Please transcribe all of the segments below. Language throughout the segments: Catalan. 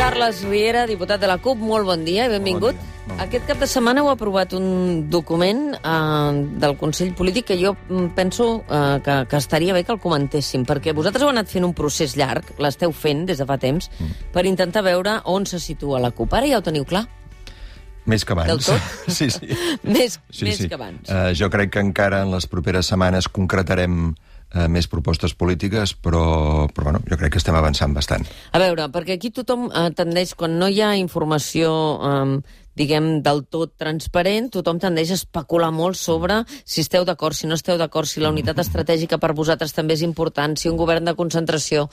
Carles Riera, diputat de la CUP, molt bon dia i benvingut. Bon dia. Aquest cap de setmana heu aprovat un document del Consell Polític que jo penso que estaria bé que el comentéssim, perquè vosaltres heu anat fent un procés llarg, l'esteu fent des de fa temps, per intentar veure on se situa la CUP. Ara ja ho teniu clar? Més que abans. Del tot? Sí. Més que abans. Jo crec que encara en les properes setmanes concretarem més propostes polítiques, però bueno, jo crec que estem avançant bastant. A veure, perquè aquí tothom tendeix, quan no hi ha informació diguem, del tot transparent, tothom tendeix a especular molt sobre si esteu d'acord, si no esteu d'acord, si la unitat estratègica per vosaltres també és important, si un govern de concentració.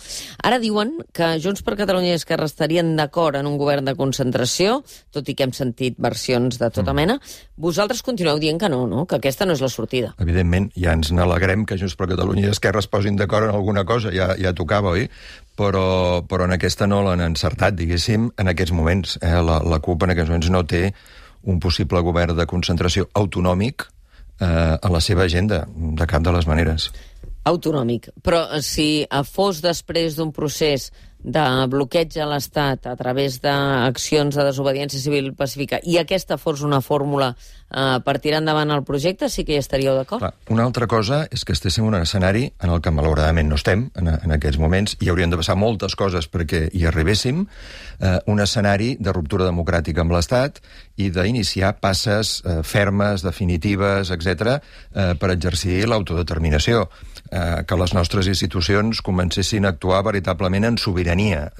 Ara diuen que Junts per Catalunya i Esquerra estarien d'acord en un govern de concentració, tot i que hem sentit versions de tota mena. Vosaltres continueu dient que no, que aquesta no és la sortida. Evidentment, ja ens n'alegrem que Junts per Catalunya i Esquerra es posin d'acord en alguna cosa, ja tocava, oi? Però en aquesta no l'han encertat, diguéssim, en aquests moments. La CUP en aquests moments no té un possible govern de concentració autonòmic a la seva agenda, de cap de les maneres. Autonòmic. Però si fos després d'un procés de bloqueig a l'Estat a través d'accions de desobediència civil pacífica i aquesta fos una fórmula per tirar endavant el projecte, sí que hi estaríeu d'acord? Una altra cosa és que estéssim en un escenari en el que malauradament no estem en aquests moments i haurien de passar moltes coses perquè hi arribéssim, un escenari de ruptura democràtica amb l'Estat i d'iniciar passes fermes, definitives, etc., per exercir l'autodeterminació, que les nostres institucions comencessin a actuar veritablement en sobirania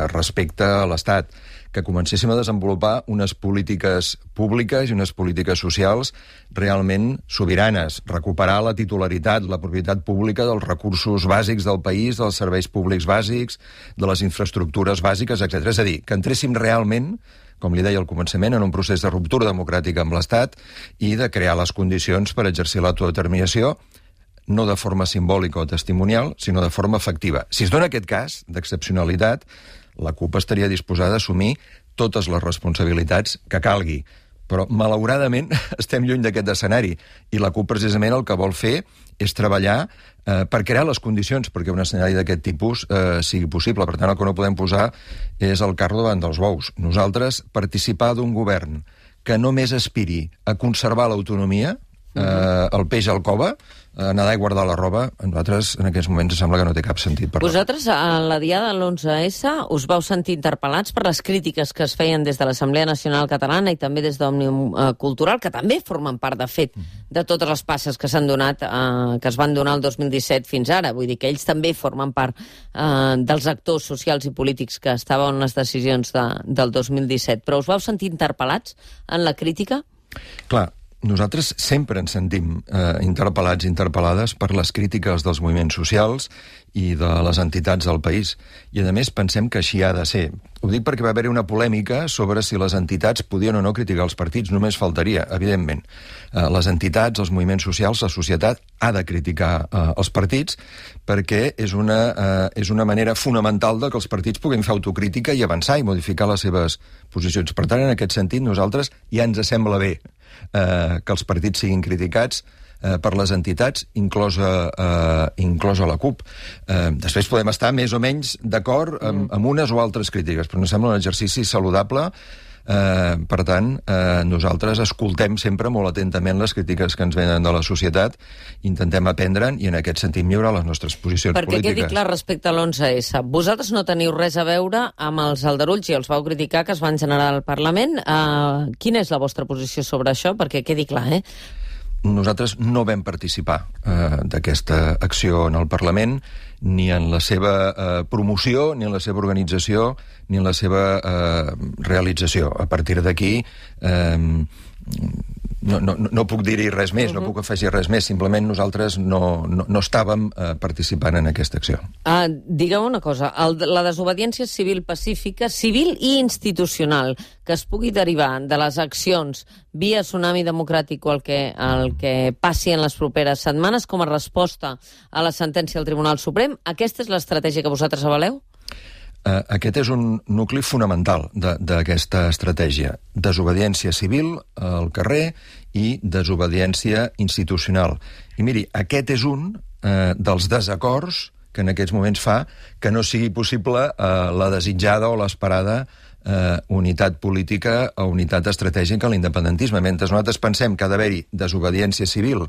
respecte a l'Estat, que comencéssim a desenvolupar unes polítiques públiques i unes polítiques socials realment sobiranes, recuperar la titularitat, la propietat pública dels recursos bàsics del país, dels serveis públics bàsics, de les infraestructures bàsiques, etc. És a dir, que entréssim realment, com li deia al començament, en un procés de ruptura democràtica amb l'Estat i de crear les condicions per exercir l'autodeterminació, no de forma simbòlica o testimonial, sinó de forma efectiva. Si es dona aquest cas d'excepcionalitat, la CUP estaria disposada a assumir totes les responsabilitats que calgui. Però, malauradament, estem lluny d'aquest escenari i la CUP, precisament, el que vol fer és treballar per crear les condicions perquè un escenari d'aquest tipus sigui possible. Per tant, el que no podem posar és el carro davant dels bous. Nosaltres, participar d'un govern que només aspiri a conservar l'autonomia, el peix al cova, nedar i guardar la roba, a nosaltres en aquests moments sembla que no té cap sentit. Vosaltres, a la diada de l'11S, us vau sentir interpel·lats per les crítiques que es feien des de l'Assemblea Nacional Catalana i també des d'Òmnium Cultural, que també formen part, de fet, de totes les passes que s'han donat, que es van donar el 2017 fins ara. Vull dir que ells també formen part dels actors socials i polítics que estaven en les decisions del 2017. Però us vau sentir interpel·lats en la crítica? Clar, nosaltres sempre ens sentim interpel·lats i interpel·lades per les crítiques dels moviments socials i de les entitats del país. I, a més, pensem que així ha de ser. Ho dic perquè va haver-hi una polèmica sobre si les entitats podien o no criticar els partits. Només faltaria, evidentment. Les entitats, els moviments socials, la societat ha de criticar els partits perquè és una manera fonamental de que els partits puguin fer autocrítica i avançar i modificar les seves posicions. Per tant, en aquest sentit, nosaltres ja ens sembla bé que els partits siguin criticats per les entitats, inclosa la CUP. Després podem estar més o menys d'acord amb unes o altres crítiques, però ens sembla un exercici saludable. Per tant, nosaltres escoltem sempre molt atentament les crítiques que ens venen de la societat, intentem aprendre'n i en aquest sentit millorar les nostres posicions polítiques. Perquè quedi clar respecte a l'11S, vosaltres no teniu res a veure amb els aldarulls i els vau criticar que es van generar al Parlament. Quina és la vostra posició sobre això? Perquè quedi clar, Nosaltres no vam participar d'aquesta acció en el Parlament, ni en la seva promoció, ni en la seva organització, ni en la seva realització. A partir d'aquí no puc dir-hi res més, no puc afegir res més, simplement nosaltres no estàvem participant en aquesta acció. Digueu una cosa, la desobediència civil pacífica, civil i institucional, que es pugui derivar de les accions via tsunami democràtic o el que passi en les properes setmanes com a resposta a la sentència del Tribunal Suprem, aquesta és l'estratègia que vosaltres avaleu? Aquest és un nucli fonamental d'aquesta estratègia. Desobediència civil al carrer i desobediència institucional. I miri, aquest és un dels desacords que en aquests moments fa que no sigui possible la desitjada o l'esperada unitat política o unitat estratègica a l'independentisme. Mentre nosaltres pensem que ha d'haver-hi desobediència civil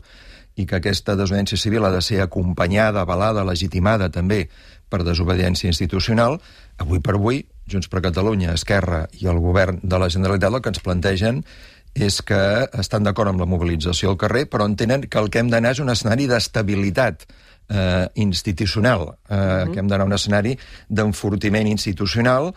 i que aquesta desobediència civil ha de ser acompanyada, avalada, legitimada també per desobediència institucional, avui per avui, Junts per Catalunya, Esquerra i el govern de la Generalitat el que ens plantegen és que estan d'acord amb la mobilització al carrer, però entenen que el que hem d'anar és un escenari d'estabilitat institucional, que hem d'anar a un escenari d'enfortiment institucional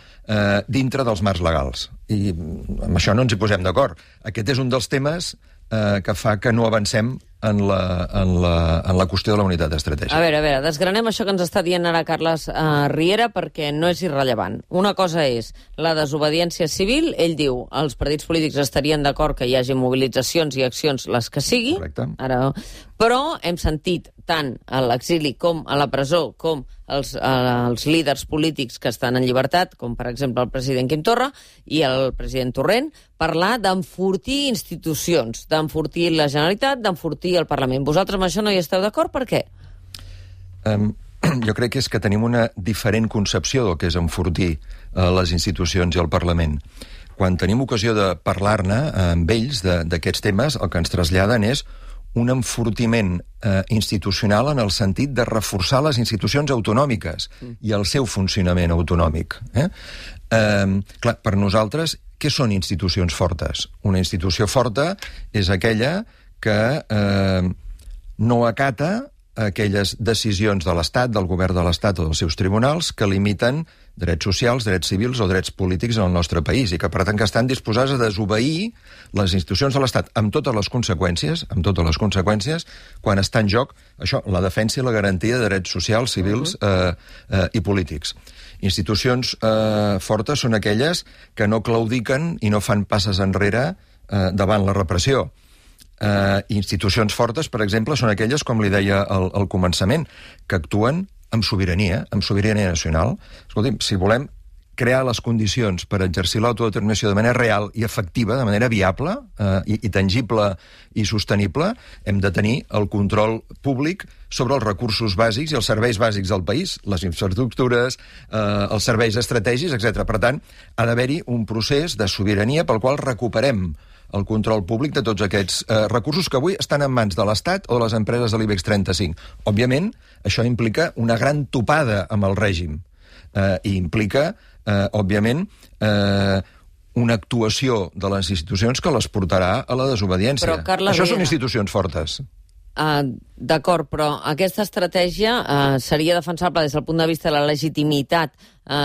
dintre dels marcs legals. I amb això no ens hi posem d'acord. Aquest és un dels temes que fa que no avancem en la qüestió de la unitat estratègica. A veure, desgranem això que ens està dient ara Carles Riera perquè no és irrellevant. Una cosa és la desobediència civil. Ell diu els partits polítics estarien d'acord que hi hagi mobilitzacions i accions, les que sigui. Correcte. Ara, però hem sentit tant a l'exili com a la presó com els líders polítics que estan en llibertat, com per exemple el president Quim Torra i el president Torrent, parlar d'enfortir institucions, d'enfortir la Generalitat, d'enfortir el Parlament. Vosaltres amb això no hi esteu d'acord? Per què? Jo crec que és que tenim una diferent concepció del que és enfortir les institucions i el Parlament. Quan tenim ocasió de parlar-ne amb ells d'aquests temes, el que ens traslladen és un enfortiment institucional en el sentit de reforçar les institucions autonòmiques i el seu funcionament autonòmic. Clar, per nosaltres, què són institucions fortes? Una institució forta és aquella que no acata aquelles decisions de l'Estat, del govern de l'Estat o dels seus tribunals que limiten drets socials, drets civils o drets polítics en el nostre país i que, per tant, que estan disposats a desobeir les institucions de l'Estat amb totes les conseqüències, quan està en joc això, la defensa i la garantia de drets socials, civils i polítics. Institucions fortes són aquelles que no claudiquen i no fan passes enrere davant la repressió. Institucions fortes, per exemple, són aquelles, com li deia al començament, que actuen amb sobirania nacional. Escolti'm, si volem crear les condicions per exercir l'autodeterminació de manera real i efectiva, de manera viable i tangible i sostenible, hem de tenir el control públic sobre els recursos bàsics i els serveis bàsics del país, les infraestructures, els serveis estratègics, etc. Per tant, ha d'haver-hi un procés de sobirania pel qual recuperem el control públic de tots aquests recursos que avui estan en mans de l'Estat o de les empreses de l'IBEX 35. Òbviament, això implica una gran topada amb el règim i implica, òbviament, una actuació de les institucions que les portarà a la desobediència. Però, Carles, això són institucions fortes. D'acord, però aquesta estratègia seria defensable des del punt de vista de la legitimitat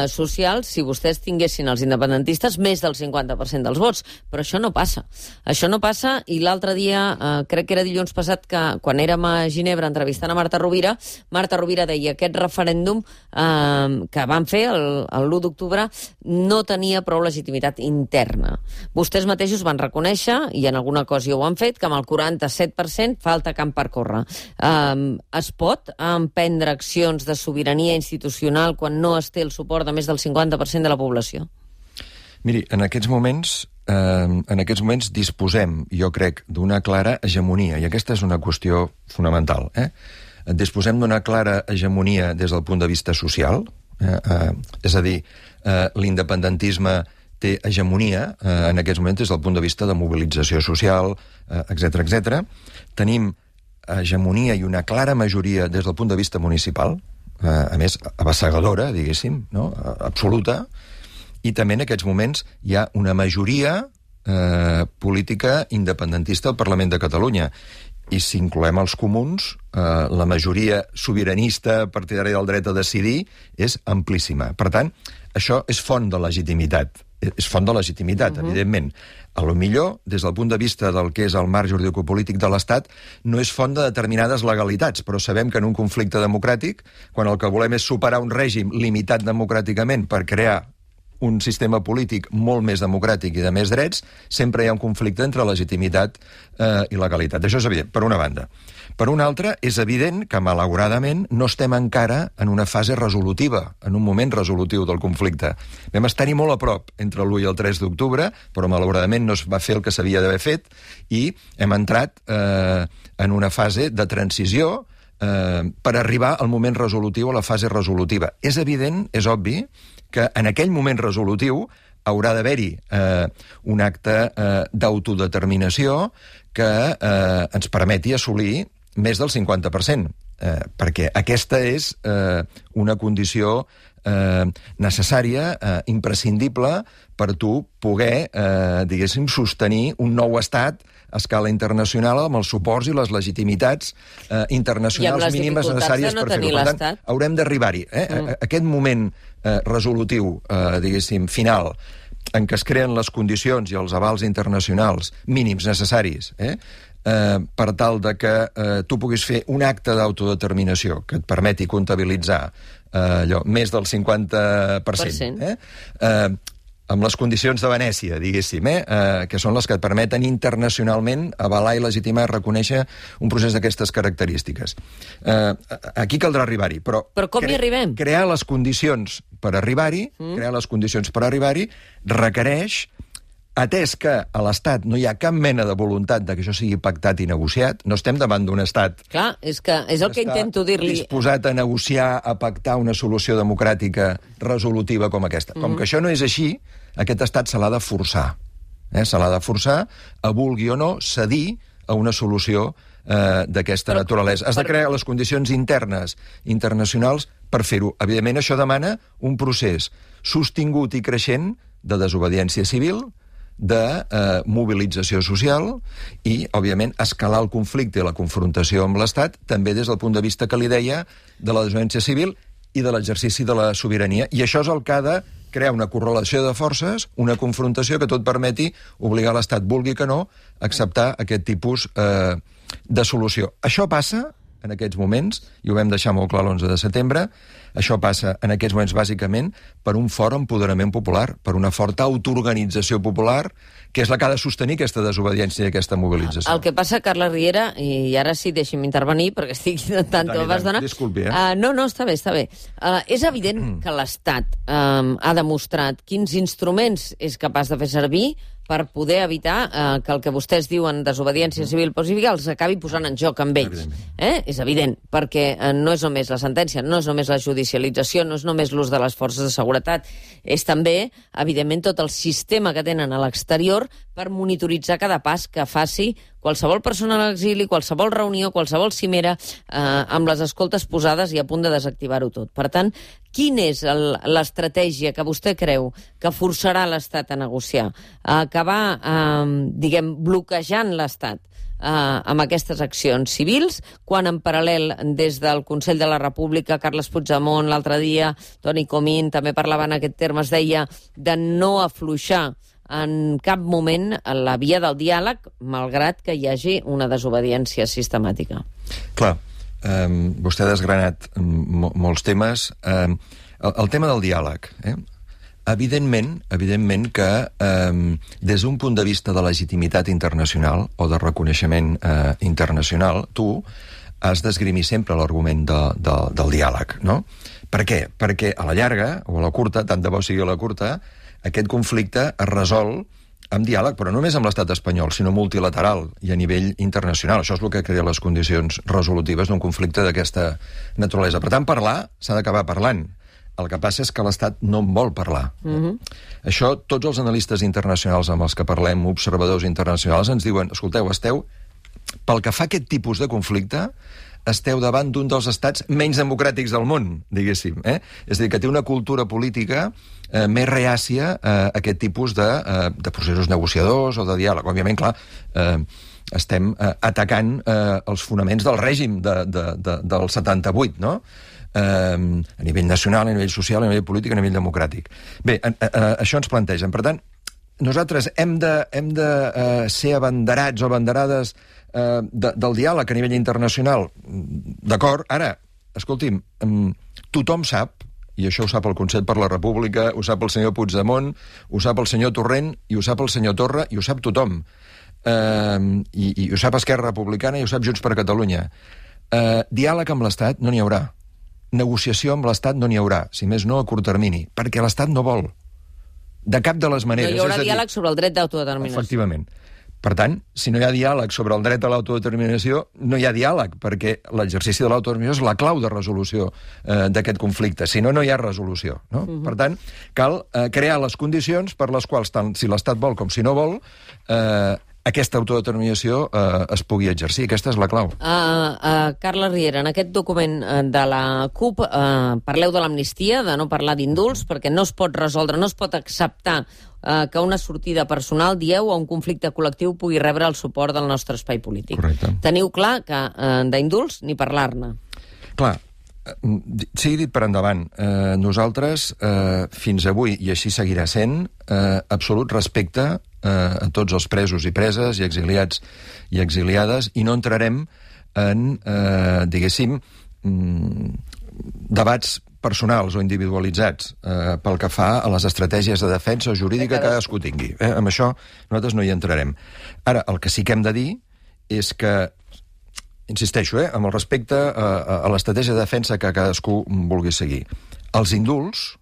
social si vostès tinguessin els independentistes més del 50% dels vots, però això no passa. Això no passa i l'altre dia, crec que era dilluns passat, que quan érem a Ginebra entrevistant a Marta Rovira deia que aquest referèndum que van fer l'1 d'octubre no tenia prou legitimitat interna. Vostès mateixos van reconèixer, i en alguna cosa ho han fet, que amb el 47% falta camp per córrer. Es pot emprendre accions de sobirania institucional quan no es té el suport de més del 50% de la població? Miri, en aquests moments disposem, jo crec, d'una clara hegemonia, i aquesta és una qüestió fonamental. Disposem d'una clara hegemonia des del punt de vista social, és a dir, l'independentisme té hegemonia en aquests moments des del punt de vista de mobilització social, etc. Tenim hegemonia i una clara majoria des del punt de vista municipal, a més, abassegadora, diguéssim, no? Absoluta, i també en aquests moments hi ha una majoria política independentista al Parlament de Catalunya. I si incloem els comuns, la majoria sobiranista partidària del dret a decidir és amplíssima. Per tant, això és font de legitimitat. Evidentment. A lo millor, des del punt de vista del que és el marc juridicopolític de l'Estat, no és font de determinades legalitats, però sabem que en un conflicte democràtic, quan el que volem és superar un règim limitat democràticament per crear un sistema polític molt més democràtic i de més drets, sempre hi ha un conflicte entre legitimitat i legalitat. Això és evident, per una banda. Per una altra, és evident que, malauradament, no estem encara en una fase resolutiva, en un moment resolutiu del conflicte. Vam estar-hi molt a prop entre l'1 i el 3 d'octubre, però malauradament no es va fer el que s'havia d'haver fet i hem entrat en una fase de transició per arribar al moment resolutiu, a la fase resolutiva. És evident, és obvi, que en aquell moment resolutiu haurà d'haver-hi un acte d'autodeterminació que ens permeti assolir més del 50%, perquè aquesta és una condició necessària, imprescindible, per tu poder, diguéssim, sostenir un nou estat a escala internacional amb els suports i les legitimitats internacionals mínimes necessàries per fer-ho. Per tant, haurem d'arribar-hi. Aquest moment resolutiu, diguéssim, final, en què es creen les condicions i els avals internacionals mínims necessaris per tal de que tu puguis fer un acte d'autodeterminació que et permeti comptabilitzar més del 50%, amb les condicions de Venècia, diguéssim, que són les que et permeten internacionalment avalar i legitimar i reconèixer un procés d'aquestes característiques. Aquí caldrà arribar-hi, però com hi arribem? Crear les condicions per arribar-hi, requereix, atès que a l'Estat no hi ha cap mena de voluntat de que això sigui pactat i negociat, no estem davant d'un Estat... Clar, és el que intento dir-li... disposat a negociar, a pactar una solució democràtica resolutiva com aquesta. Com que això no és així, aquest Estat se l'ha de forçar. Se l'ha de forçar, a vulgui o no, cedir a una solució d'aquesta naturalesa. Has de crear les condicions internes, internacionals, per fer-ho. Evidentment, això demana un procés sostingut i creixent de desobediència civil, de mobilització social i, òbviament, escalar el conflicte i la confrontació amb l'Estat, també des del punt de vista que li deia de la desobediència civil i de l'exercici de la sobirania. I això és el que ha de crear una correlació de forces, una confrontació que tot permeti obligar l'Estat, vulgui que no, a acceptar aquest tipus de solució. Això passa en aquests moments, i ho vam deixar molt clar l'11 de setembre, això passa en aquests moments bàsicament per un fort empoderament popular, per una forta autoorganització popular, que és la que ha de sostenir aquesta desobediència i aquesta mobilització. El que passa, Carles Riera, i ara sí deixi'm intervenir, perquè estic intentant... Disculpi, No, està bé. És evident que l'Estat ha demostrat quins instruments és capaç de fer servir per poder evitar que el que vostès diuen desobediència civil pacífica els acabi posant en joc amb ells. És evident, perquè no és només la sentència, no és només la judicialització, no és només l'ús de les forces de seguretat, és també, evidentment, tot el sistema que tenen a l'exterior per monitoritzar cada pas que faci qualsevol persona a l'exili, qualsevol reunió, qualsevol cimera, amb les escoltes posades i a punt de desactivar-ho tot. Per tant, quina és l'estratègia que vostè creu que forçarà l'Estat a negociar? Acabar, bloquejant l'Estat amb aquestes accions civils, quan en paral·lel des del Consell de la República, Carles Puigdemont l'altre dia, Toni Comín també parlava en aquest terme, es deia de no afluixar en cap moment la via del diàleg, malgrat que hi hagi una desobediència sistemàtica. Clar, vostè ha desgranat molts temes. El tema del diàleg, evidentment que des d'un punt de vista de legitimitat internacional o de reconeixement internacional, tu has d'esgrimir sempre l'argument del diàleg, no? Per què? Perquè a la llarga, o a la curta, tant de bo sigui a la curta, aquest conflicte es resol amb diàleg, però no només amb l'estat espanyol, sinó multilateral i a nivell internacional. Això és el que crea les condicions resolutives d'un conflicte d'aquesta naturalesa. Per tant, parlar s'ha d'acabar parlant. El que passa és que l'Estat no en vol parlar. Això, tots els analistes internacionals amb els que parlem, observadors internacionals, ens diuen, escolteu, pel que fa a aquest tipus de conflicte, esteu davant d'un dels estats menys democràtics del món, diguéssim. És a dir, que té una cultura política més reàcia a aquest tipus de processos negociadors o de diàleg. Òbviament, clar, estem atacant els fonaments del règim del 78, no? A nivell nacional, a nivell social, a nivell polític, a nivell democràtic. Bé, això ens plantegen. Per tant, nosaltres hem de ser abanderats o abanderades del diàleg a nivell internacional. D'acord? Ara, escolti'm, tothom sap, i això ho sap el Consell per la República, ho sap el senyor Puigdemont, ho sap el senyor Torrent, i ho sap el senyor Torra, i ho sap tothom. I ho sap Esquerra Republicana, i ho sap Junts per Catalunya. Diàleg amb l'Estat no n'hi haurà. Negociació amb l'Estat no n'hi haurà, si més no a curt termini, perquè l'Estat no vol. De cap de les maneres. No hi haurà diàleg sobre el dret d'autodeterminació. Efectivament. Per tant, si no hi ha diàleg sobre el dret a l'autodeterminació, no hi ha diàleg, perquè l'exercici de l'autodeterminació és la clau de resolució d'aquest conflicte. Si no, no hi ha resolució. No? Per tant, cal crear les condicions per les quals, tant si l'Estat vol com si no vol, aquesta autodeterminació es pugui exercir. Aquesta és la clau. Carles Riera, en aquest document de la CUP parleu de l'amnistia, de no parlar d'indults, perquè no es pot resoldre, no es pot acceptar que una sortida personal, dieu, a un conflicte col·lectiu pugui rebre el suport del nostre espai polític. Correcte. Teniu clar que d'indults ni parlar-ne. Clar, sigui dit per endavant, nosaltres, fins avui, i així seguirà sent, absolut respecte a tots els presos i preses i exiliats i exiliades, i no entrarem en, diguéssim, debats personals o individualitzats pel que fa a les estratègies de defensa jurídica que cadascú tingui. Amb això nosaltres no hi entrarem. Ara, el que sí que hem de dir és que, insisteixo, amb el respecte a l'estratègia de defensa que cadascú vulgui seguir, els indults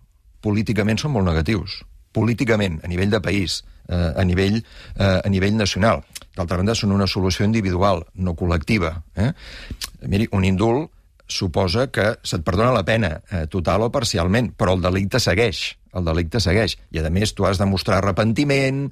políticament són molt negatius. Políticament, a nivell de país, a nivell nacional. D'altra banda, són una solució individual, no col·lectiva. Miri, un indult suposa que se't perdona la pena, total o parcialment, però el delicte segueix. El delicte segueix. I, a més, tu has de mostrar arrepentiment,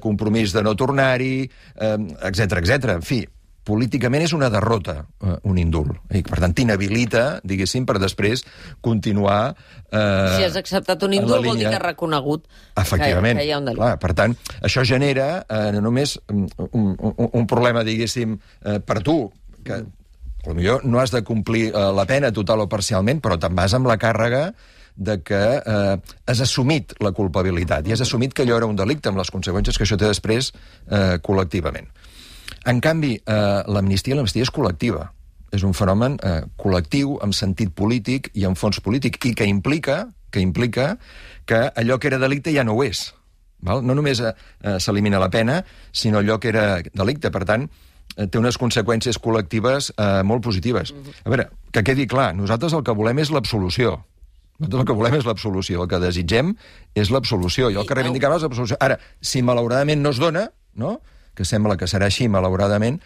compromís de no tornar-hi, etc. En fi, políticament és una derrota, un indult. I, per tant, t'inhabilita, diguéssim, per després continuar si has acceptat un indult vol dir que has reconegut que hi ha un delicte. Clar, per tant, això genera no només un problema, diguéssim, per tu, que potser no has de complir la pena total o parcialment, però te'n vas amb la càrrega de que has assumit la culpabilitat i has assumit que allò era un delicte amb les conseqüències que això té després col·lectivament. En canvi, l'amnistia és col·lectiva. És un fenomen col·lectiu, amb sentit polític i amb fons polític, i que implica que allò que era delicte ja no ho és. Val? No només s'elimina la pena, sinó allò que era delicte. Per tant, té unes conseqüències col·lectives molt positives. A veure, que quedi clar, nosaltres el que volem és l'absolució. Nosaltres el que volem és l'absolució. El que desitgem és l'absolució. I el que reivindicam és l'absolució. Ara, si malauradament no es dona, no?, que sembla que serà així, malauradament,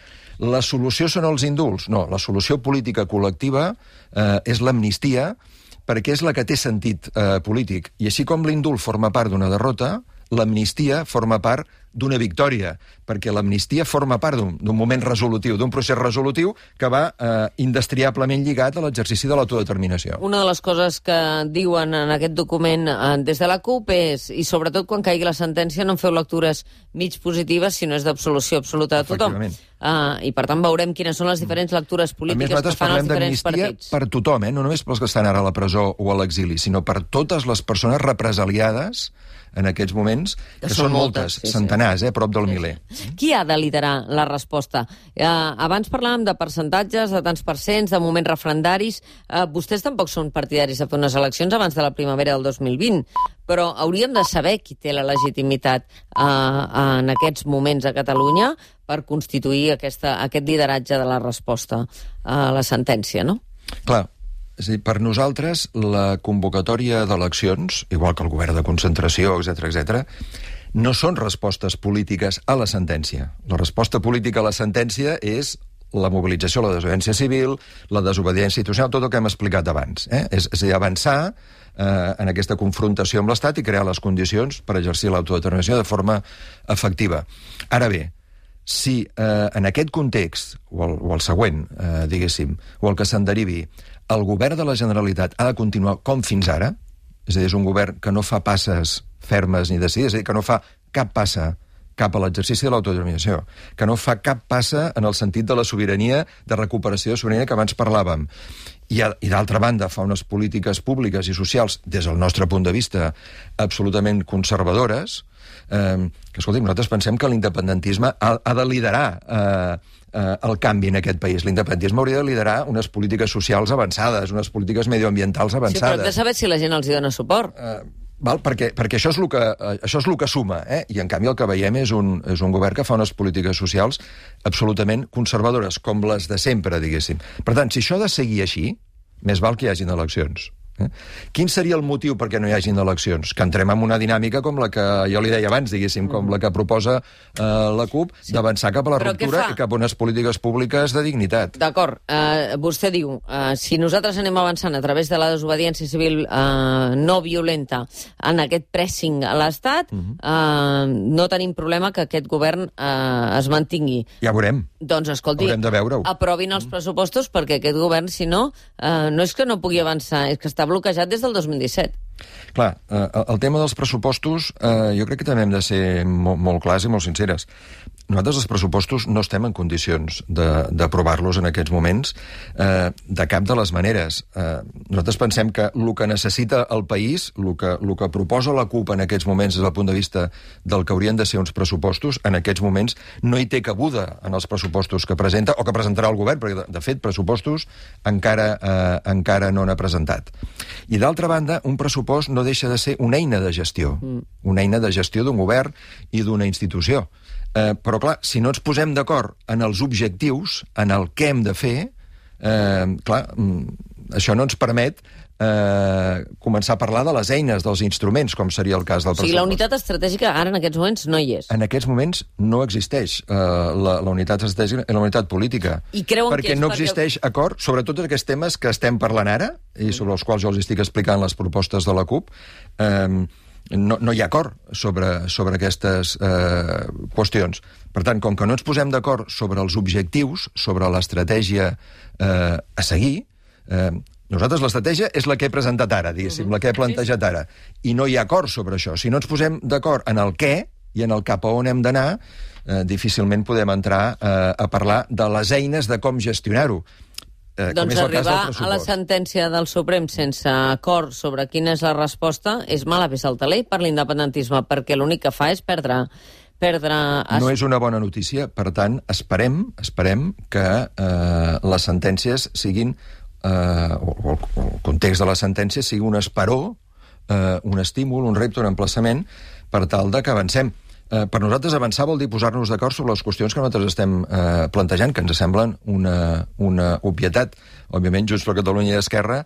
la solució són els indults. No, la solució política col·lectiva és l'amnistia, perquè és la que té sentit polític. I així com l'indult forma part d'una derrota, l'amnistia forma part d'una victòria, perquè l'amnistia forma part d'un moment resolutiu, d'un procés resolutiu que va indestriablement lligat a l'exercici de l'autodeterminació. Una de les coses que diuen en aquest document des de la CUP és, i sobretot quan caigui la sentència, no en feu lectures mig positives, sinó és d'absolució absoluta de tothom. I per tant veurem quines són les diferents lectures polítiques que fan els diferents partits. Per tothom, no només pels que estan ara a la presó o a l'exili, sinó per totes les persones represaliades en aquests moments, que són moltes, centenars, prop del miler. Qui ha de liderar la resposta? Abans parlàvem de percentatges, de tants percents, de moments referendaris. Vostès tampoc són partidaris de fer unes eleccions abans de la primavera del 2020, però hauríem de saber qui té la legitimitat en aquests moments a Catalunya per constituir aquest lideratge de la resposta a la sentència, no? Clar. És a dir, per nosaltres, la convocatòria d'eleccions, igual que el govern de concentració, etc., no són respostes polítiques a la sentència. La resposta política a la sentència és la mobilització, la desobediència civil, la desobediència institucional, tot el que hem explicat abans. És a dir, avançar en aquesta confrontació amb l'Estat i crear les condicions per exercir l'autodeterminació de forma efectiva. Ara bé, si en aquest context, o el següent, diguéssim, o el que se'n derivi, el govern de la Generalitat ha de continuar com fins ara, és a dir, és un govern que no fa passes fermes ni decidides, és a dir, que no fa cap passa cap a l'exercici de l'autodeterminació, que no fa cap passa en el sentit de la sobirania, de recuperació de sobirania que abans parlàvem. I d'altra banda fa unes polítiques públiques i socials, des del nostre punt de vista, absolutament conservadores, que, escolti, nosaltres pensem que l'independentisme ha de liderar el canvi en aquest país. L'independentisme hauria de liderar unes polítiques socials avançades, unes polítiques medioambientals avançades. Sí, però hem de saber si la gent els hi dona suport. Perquè això és el que suma, i en canvi el que veiem és un govern que fa unes polítiques socials absolutament conservadores, com les de sempre, diguéssim. Per tant, si això ha de seguir així, més val que hi hagin eleccions. Quin seria el motiu perquè no hi hagin eleccions? Que entrem en una dinàmica com la que jo li deia abans, diguéssim, com la que proposa la CUP, d'avançar cap a la ruptura i cap a unes polítiques públiques de dignitat. D'acord. Vostè diu, si nosaltres anem avançant a través de la desobediència civil no violenta en aquest pressing a l'Estat, no tenim problema que aquest govern es mantingui. Ja veurem. Doncs, escolti, haurem de veure-ho. Aprovin els pressupostos perquè aquest govern, si no, no és que no pugui avançar, és que està bloquejat des del 2017. Clar, el tema dels pressupostos jo crec que també hem de ser molt clars i molt sinceres. Nosaltres els pressupostos no estem en condicions d'aprovar-los en aquests moments de cap de les maneres. Nosaltres pensem que el que necessita el país, el que proposa la CUP en aquests moments des del punt de vista del que haurien de ser uns pressupostos, en aquests moments no hi té cabuda en els pressupostos que presenta o que presentarà el govern, perquè de fet pressupostos encara no n'ha presentat. I d'altra banda, un pressupost no deixa de ser una eina de gestió, una eina de gestió d'un govern i d'una institució. Però, clar, si no ens posem d'acord en els objectius, en el què hem de fer, clar, això no ens permet començar a parlar de les eines, dels instruments, com seria el cas del pressupost. O sigui, la unitat estratègica ara en aquests moments no hi és. En aquests moments no existeix la unitat estratègica i la unitat política. I creuen perquè no existeix acord sobre tots aquests temes que estem parlant ara, i sobre els quals jo els estic explicant les propostes de la CUP. No hi ha acord sobre aquestes qüestions. Per tant, com que no ens posem d'acord sobre els objectius, sobre l'estratègia a seguir, nosaltres l'estratègia és la que he presentat ara, diguéssim, la que he plantejat ara, i no hi ha acord sobre això. Si no ens posem d'acord en el què i en el cap a on hem d'anar, difícilment podem entrar a parlar de les eines de com gestionar-ho. Doncs arribar a la sentència del Suprem sense acord sobre quina és la resposta és mala peça al taler per l'independentisme, perquè l'únic que fa és perdre... No és una bona notícia, per tant, esperem que les sentències siguin, o el context de les sentències sigui un esperó, un estímul, un repte, un emplaçament, per tal de que avancem. Per nosaltres avançar vol dir posar-nos d'acord sobre les qüestions que nosaltres estem plantejant, que ens semblen una obvietat. Òbviament, Junts per Catalunya i Esquerra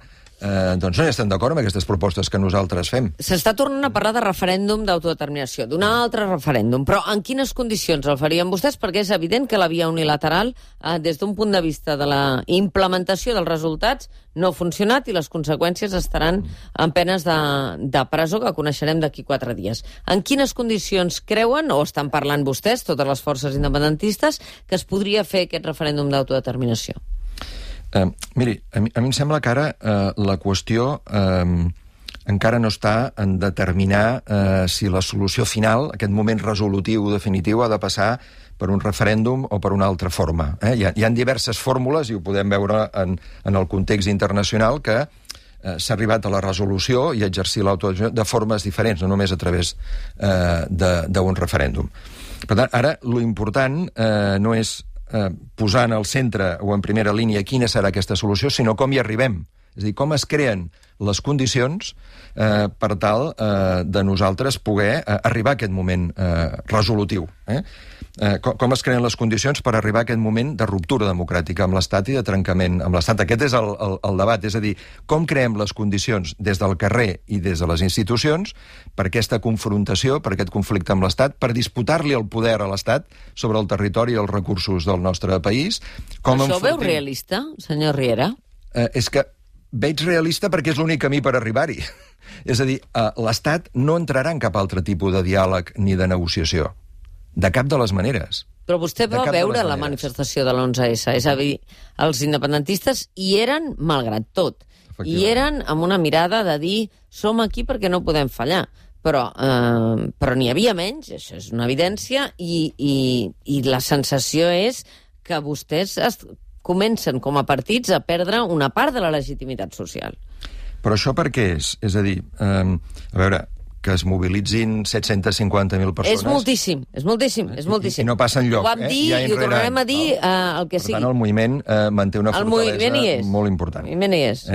doncs no hi estem d'acord amb aquestes propostes que nosaltres fem. S'està tornant a parlar de referèndum d'autodeterminació, d'un altre referèndum, però en quines condicions el farien vostès? Perquè és evident que la via unilateral, des d'un punt de vista de la implementació dels resultats, no ha funcionat i les conseqüències estaran en penes de presó que coneixerem d'aquí 4 dies. En quines condicions creuen, o estan parlant vostès, totes les forces independentistes, que es podria fer aquest referèndum d'autodeterminació? Miri, a mi em sembla que ara la qüestió encara no està en determinar si la solució final, aquest moment resolutiu definitiu, ha de passar per un referèndum o per una altra forma. Hi ha diverses fórmules, i ho podem veure en el context internacional, que s'ha arribat a la resolució i a exercir l'autodeterminació de formes diferents, no només a través d'un referèndum. Per tant, ara, l'important no és posar en el centre o en primera línia quina serà aquesta solució, sinó com hi arribem. És a dir, com es creen les condicions per tal de nosaltres poder arribar a aquest moment resolutiu. Com es creen les condicions per arribar a aquest moment de ruptura democràtica amb l'Estat i de trencament amb l'Estat. Aquest és el debat, és a dir, com creem les condicions des del carrer i des de les institucions per aquesta confrontació, per aquest conflicte amb l'Estat, per disputar-li el poder a l'Estat sobre el territori i els recursos del nostre país. Això ho veu realista, senyor Riera? És que veig realista perquè és l'únic camí per arribar-hi. És a dir, l'Estat no entrarà en cap altre tipus de diàleg ni de negociació. De cap de les maneres. Però vostè va veure la manifestació de l'11S. És a dir, els independentistes hi eren malgrat tot. Hi eren amb una mirada de dir som aquí perquè no podem fallar. Però n'hi havia menys, això és una evidència, i la sensació és que vostès comencen com a partits a perdre una part de la legitimitat social. Però això per què és? És a dir, a veure, que es mobilitzin 750.000 persones... És moltíssim, és moltíssim, és moltíssim. I no passa enlloc. Ho vam dir i ho tornarem a dir el que sigui. Per tant, el moviment manté una fortalesa molt important. El moviment hi és.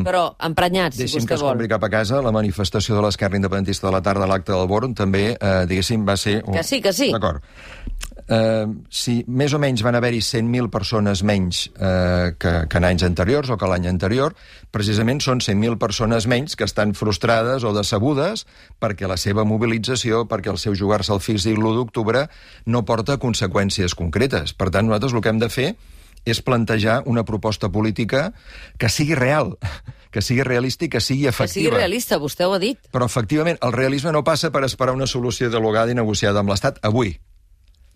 Però emprenyats, si vostè vol. Deixi'm que es compri cap a casa, la manifestació de l'Esquerra Independentista de la tarda a l'acte del Born també, diguéssim, va ser... Que sí, que sí. D'acord. si més o menys van haver-hi 100.000 persones menys que en anys anteriors o que l'any anterior, precisament són 100.000 persones menys que estan frustrades o decebudes perquè la seva mobilització, perquè el seu jugar-se al físic l'1 d'octubre no porta conseqüències concretes. Per tant, nosaltres el que hem de fer és plantejar una proposta política que sigui real, que sigui realista i que sigui efectiva. Que sigui realista, vostè ho ha dit. Però, efectivament, el realisme no passa per esperar una solució dialogada i negociada amb l'Estat avui.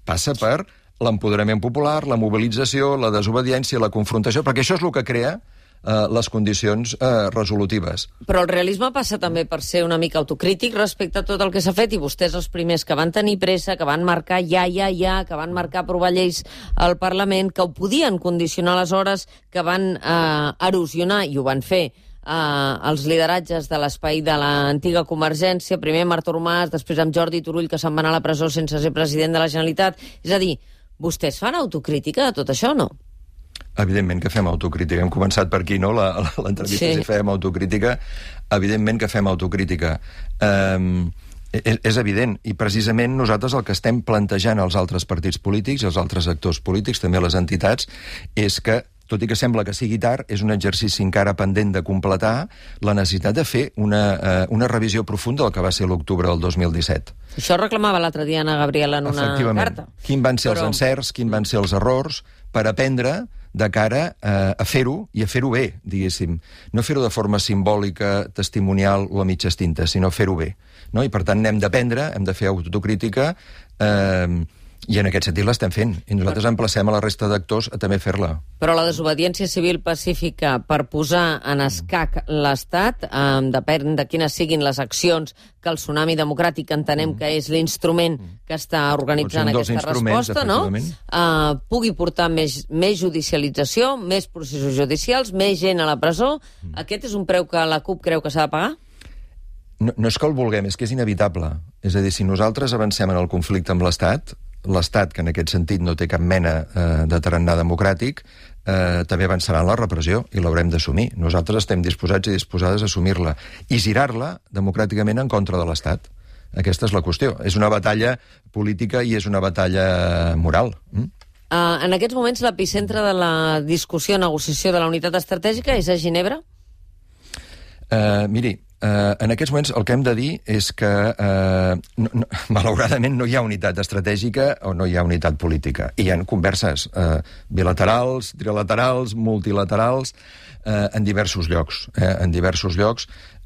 Passa per l'empoderament popular, la mobilització, la desobediència, la confrontació, perquè això és el que crea les condicions resolutives. Però el realisme passa també per ser una mica autocrític respecte a tot el que s'ha fet, i vostès els primers que van tenir pressa, que van marcar ja, que van marcar aprovar lleis al Parlament, que ho podien condicionar aleshores, que van erosionar, i ho van fer, els lideratges de l'espai de l'antiga Convergència, primer amb Artur Mas, després amb Jordi Turull, que se'n va anar a la presó sense ser president de la Generalitat. És a dir, vostès fan autocrítica de tot això o no? Evidentment que fem autocrítica. Hem començat per aquí, no?, l'entrevista, si fem autocrítica. Evidentment que fem autocrítica. És evident, i precisament nosaltres el que estem plantejant als altres partits polítics i als altres actors polítics, també a les entitats, és que, tot i que sembla que sigui tard, és un exercici encara pendent de completar la necessitat de fer una revisió profunda del que va ser l'octubre del 2017. Això reclamava l'altre dia Anna Gabriel en una carta. Quins van ser els encerts, quins van ser els errors, per aprendre de cara a fer-ho, i a fer-ho bé, diguéssim. No fer-ho de forma simbòlica, testimonial o a mitges tintes, sinó fer-ho bé. No? I per tant n'hem d'aprendre, hem de fer autocrítica, i en aquest sentit l'estem fent. I nosaltres emplacem a la resta d'actors a també fer-la. Però la desobediència civil pacífica per posar en escac l'Estat, depèn de quines siguin les accions que el Tsunami Democràtic entenem que és l'instrument que està organitzant aquesta resposta, no? Pugui portar més judicialització, més processos judicials, més gent a la presó. Aquest és un preu que la CUP creu que s'ha de pagar? No és que el vulguem, és que és inevitable. És a dir, si nosaltres avancem en el conflicte amb l'Estat, que en aquest sentit no té cap mena de tarannà democràtic, també avançarà en la repressió i l'haurem d'assumir. Nosaltres estem disposats i disposades a assumir-la i girar-la democràticament en contra de l'Estat. Aquesta és la qüestió. És una batalla política i és una batalla moral. En aquests moments l'epicentre de la discussió, negociació de la unitat estratègica és a Ginebra? Miri, en aquests moments el que hem de dir és que malauradament no hi ha unitat estratègica o no hi ha unitat política. Hi ha converses bilaterals, trilaterals, multilaterals, en diversos llocs.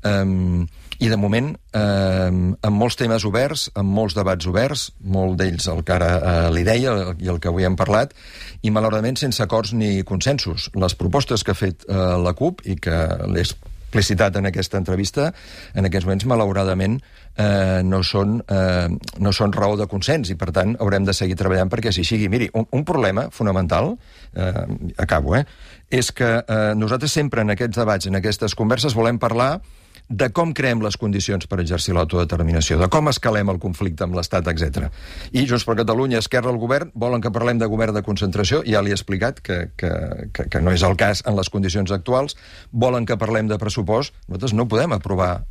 I de moment amb molts temes oberts, amb molts debats oberts, molt d'ells el que ara li deia i el que avui hem parlat, i malauradament sense acords ni consensos. Les propostes que ha fet la CUP i que l'he explicitat en aquesta entrevista, en aquests moments, malauradament, no són raó de consens, i per tant haurem de seguir treballant perquè així sigui. Miri, un problema fonamental, acabo, és que nosaltres sempre en aquests debats, en aquestes converses, volem parlar de com creem les condicions per exercir l'autodeterminació, de com escalem el conflicte amb l'Estat, etc. I Junts per Catalunya, Esquerra, el govern, volen que parlem de govern de concentració, ja li he explicat que no és el cas en les condicions actuals, volen que parlem de pressupost, nosaltres no podem aprovar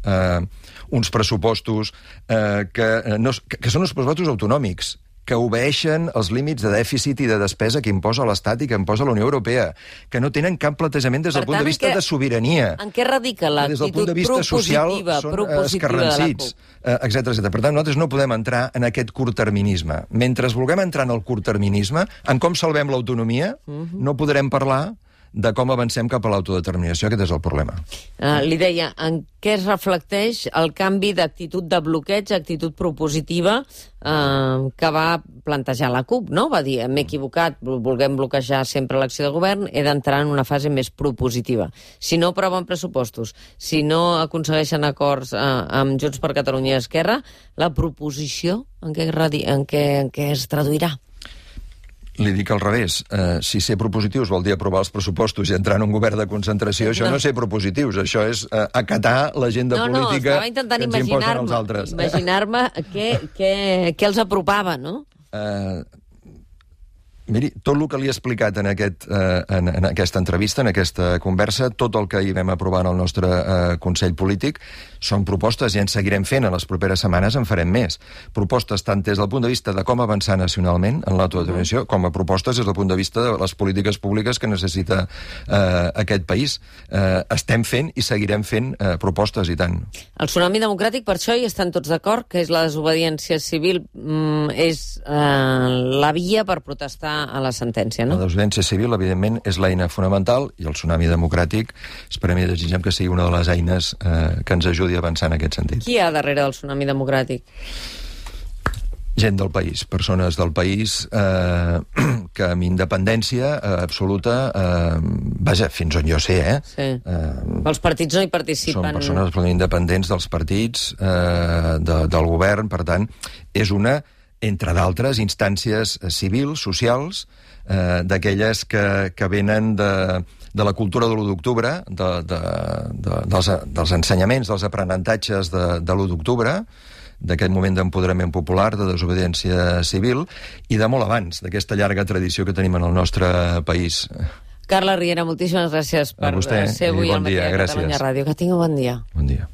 uns pressupostos que són uns pressupostos autonòmics, que obeeixen els límits de dèficit i de despesa que imposa l'Estat i que imposa la Unió Europea, que no tenen cap plantejament des del punt de vista de sobirania. En què radica l'actitud propositiva de la CUP? Etcètera. Per tant, nosaltres no podem entrar en aquest curtterminisme. Mentre vulguem entrar en el curtterminisme, en com salvem l'autonomia, no podrem parlar de com avancem cap a l'autodeterminació. Aquest és el problema. Li deia, en què es reflecteix el canvi d'actitud de bloqueig, actitud propositiva que va plantejar la CUP, no? Va dir, m'he equivocat, volguem bloquejar sempre l'acció de govern, he d'entrar en una fase més propositiva. Si no aproven pressupostos, si no aconsegueixen acords amb Junts per Catalunya i Esquerra, la proposició en què es traduirà? Li dic al revés. Si ser propositius vol dir aprovar els pressupostos i entrar en un govern de concentració, això no és ser propositius, això és acatar l'agenda política que ens imposen els altres. Imaginar-me què els apropava, no? Miri, tot el que li he explicat en aquesta entrevista, en aquesta conversa, tot el que hi vam aprovar en el nostre Consell Polític, són propostes i en seguirem fent. En les properes setmanes en farem més. Propostes tant des del punt de vista de com avançar nacionalment en l'autodeterminació, com a propostes des del punt de vista de les polítiques públiques que necessita aquest país. Estem fent i seguirem fent propostes, i tant. El Tsunami Democràtic, per això hi estan tots d'acord, que és la desobediència civil, és la via per protestar a la sentència, no? La desobediència civil, evidentment, és l'eina fonamental, i el Tsunami Democràtic esperem i desitgem que sigui una de les eines que ens ajudi a avançar en aquest sentit. Qui hi ha darrere del Tsunami Democràtic? Gent del país, persones del país que amb independència absoluta, vaja, fins on jo sé, Sí. Els partits no hi participen. Són persones absolutament independents dels partits, del govern, per tant, és una, entre d'altres, instàncies civils, socials, d'aquelles que venen de la cultura de l'1 d'octubre, dels ensenyaments, dels aprenentatges de l'1 d'octubre, d'aquest moment d'empoderament popular, de desobediència civil, i de molt abans, d'aquesta llarga tradició que tenim en el nostre país. Carles Riera, moltíssimes gràcies per ser avui al Matí de Catalunya Ràdio. Que tingui un bon dia. Bon dia.